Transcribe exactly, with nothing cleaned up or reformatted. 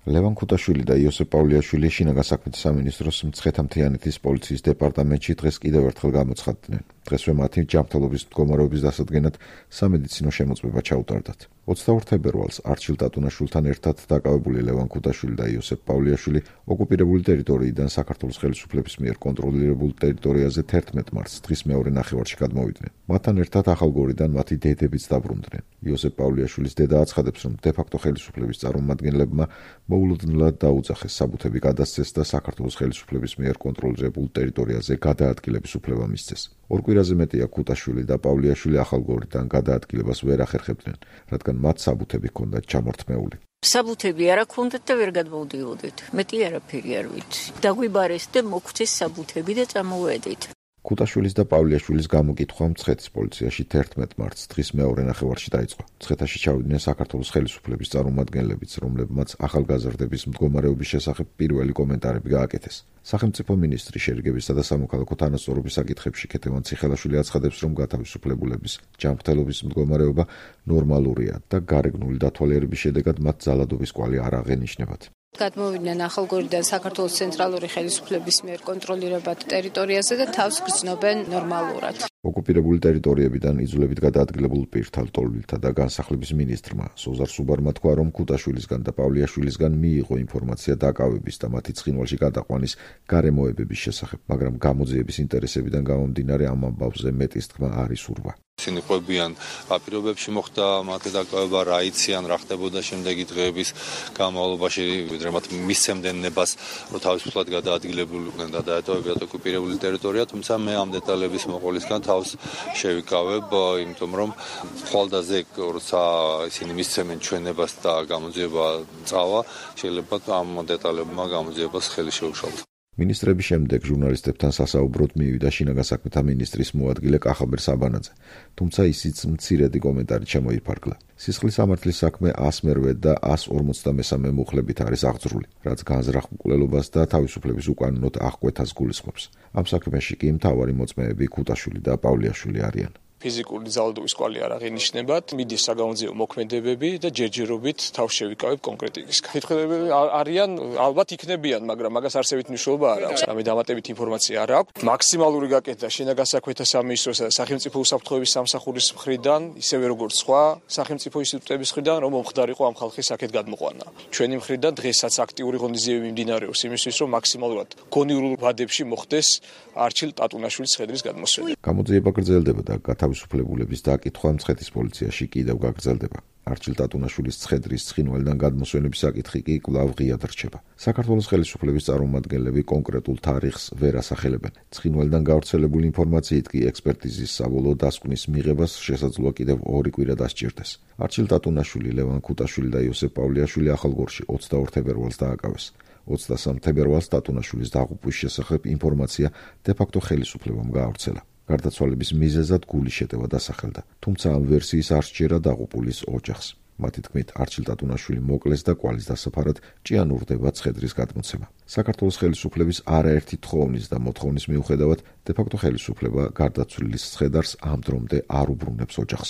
ლევან ქუთაშვილი და იოსებ პავლიაშვილი შინაგან საქმეთა სამინისტროს მცხეთა-მთიანეთის პოლიციის დეპარტამენტში დღეს კიდევ ერთხელ გამოცხადდნენ. დღესვე მათი ჯანმრთელობის მდგომარეობის დასადგენად სამედიცინო შემოწმება ჩაუტარდათ. ოცდაორ თებერვალს არჩილ ტატუნაშვილთან ერთად დაკავებული ლევან ქუთაშვილი და იოსებ პავლიაშვილი ოკუპირებული ტერიტორიიდან საქართველოს ხელისუფლების მიერ კონტროლირებულ ტერიტორიაზე თერთმეტ მარტს დღის მეორე ნახევარში გადმოვიდნენ. მათთან ერთად ახალგორიდან მათი დედებიც დაბრუნდნენ. იოსებ პავლიაშვილის დედა აცხადებს, რომ დე-ფაქტო ხელისუფლების წარმომადგენლებმა მოულოდნელად დაუძახეს საბუთები გადასცეს და საქართველოს ხელისუფლების მიერ კონტროლირებულ ტერიტორიაზე გადაადგილების უფლება მისცეს. ორ კვირაზე მეტია ქუთაშვილი და პავლიაშვილი ახალგორიდან გადაადგილებას ვერ ახერხებდნენ, რადგან მათ საბუთები ჰქონდათ ჩამორთმეული. საბუთები არა ქონდათ და ვერ გადმოვდიოდით. მეტი არაფერი არ ვიცი. დაგვიბარეს და მოგვცეს საბუთები და წამოვედით. ქუთაშვილის და პავლიაშვილის გამოკითხვა მცხეთის პოლიციაში თერთმეტ მარტს დღის მეორე ნახევარში დაიწყო. მცხეთაში ჩავიდნენ საქართველოს ხელისუფლების წარმომადგენლებიც, რომლებმაც ახალგაზრდების მდგომარეობის შესახებ პირველი კომენტარები გააკეთეს. სახელმწიფო მინისტრი შერიგებისა და სამოქალაქო თანასწორობის საკითხებში ქეთევან ციხელაშვილი აცხადებს, რომ გათავისუფლებულების ჯანმრთელობის მდგომარეობა ნორმალურია და გარეგნული დათვალიერების შედეგად მათ ძალადობის კვალი არ აღენიშნებათ. გადმოვიდნენ ახალგორიდან საქართველოს ცენტრალური ხელისუფლების მიერ კონტროლირებად ტერიტორიაზე და თავს გრძნობენ ნორმალურად. ოკუპირებული ტერიტორიებიდან იძულებით გადაადგილებულ პირთა ლტოლვილთა და განსახლების მინისტრმა სოზარ სუბარმა თქვა, რომ ქუთაშვილისგან და პავლიაშვილისგან მიიღო ინფორმაცია დაკავების და მათი ცხინვალში გადაყვანის გარემოებების შესახებ, მაგრამ გამოძიების ინტერესებიდან გამომდინარე ამ ამბავზე მეტის თქმა არ ისურვა. ისინი ყვებიან რა პირობებში მოხდა მათი დაკავება, რა იციან, რა ხდებოდა შემდეგი დღეების განმავლობაში, ვიდრე მათ მისცემდნენ ნებას, რომ თავისუფლად გადაადგილებულიყვნენ და დაეტოვებიათ ოკუპირებული ტერიტორია, თუმცა მე ამ დეტალების მოყოლისგან თავს შევიკავებ, იმიტომ რომ ხვალდაზე როცა ისინი მისცემენ ჩვენ ნებას და გამოძიება წავა, შეიძლება ამ დეტალებმა გამოძიებას ხელი შეუშალოთ. მინისტრების შემდეგ ჟურნალისტებთან სასაუბროდ მივიდა შინაგან საქმეთა მინისტრის მოადგილე კახაბერ საბანაძე, თუმცა ისიც მცირედი კომენტარით შემოიფარგლა. სისხლის სამართლის საქმე ას მერვე და ას ორმოცდამესამე მუხლებით არის აღძრული, რაც განზრახ მკვლელობას და თავისუფლების უკანონოდ აღკვეთას გულისხმობს. ამ საქმეში კი მთავარი მოწმეები ქუთაშვილი და პავლიაშვილი არიან. ფიზიკური ძალადობის კვალი არ აღენიშნებათ, მიდის საგამოძიებო მოქმედებები და ჯერჯერობით თავს შევიკავებ კონკრეტიკის. კითხველები არიან, ალბათ იქნებიან, მაგრამ მაგას არსებით მნიშვნელობა არ აქვს. ამე დამატებით ინფორმაცია არ აქვს. მაქსიმალური გაკეთდა შინაგან საქმეთა სამინისტროსა და სახელმწიფო უსაფრთხოების სამსახურის მხრიდან, ისევე როგორც სხვა სახელმწიფო ინსტიტუტების მხრიდან, რომ მომხდარიყო ამ ხალხის აქეთ გადმოყვანა. ჩვენი მხრიდან დღესაც აქტიური ღონისძიებები მიმდინარეობს იმისთვის, რომ მაქსიმალურად გონივრულ ვადებში მოხდეს არჩილ ტატუნაშვილის ხედრის გადმოსვენა. გამოძიება გრძელდება და თავისუფლებულების დაკითხვა მცხეთის პოლიციაში კიდევ გაგრძელდება. არჩილ ტატუნაშვილის ცხედრის ცხინვალიდან გადმოსვენების საკითხი კი კვლავ ღიად რჩება. საქართველოს ხელისუფლების წარმომადგენლები კონკრეტულ თარიღს ვერ ასახელებენ. ცხინვალიდან გავრცელებული ინფორმაციით კი ექსპერტიზის საბოლოო დასკვნის მიღებას შესაძლოა კიდევ ორი კვირა დასჭირდეს. არჩილ ტატუნაშვილი, ლევან ქუთაშვილი და იოსებ პავლიაშვილი ახალგორში ოცდაორ თებერვალს დააკავეს. ოცდასამ თებერვალს ტატუნაშვილის დაღუპვის შესახებ ინფორმაცია დე-ფაქტო ხელისუფლებამ გაავრცელა. გარდაცვალების მიზეზად გულის შეტევა დასახელდა, თუმცა ამ ვერსიის არ სჯერა დაღუპულის ოჯახს. მათი თქმით, არჩილ ტატუნაშვილი მოკლეს და კვალის დასაფარად ჭიანურდება ცხედრის გადმოცემა. საქართველოს ხელისუფლების არაერთი თხოვნის და მოთხოვნის მიუხედავად, დე-ფაქტო ხელისუფლება გარდაცვლილის ცხედარს ამ დრომდე არ უბრუნებს ოჯახს.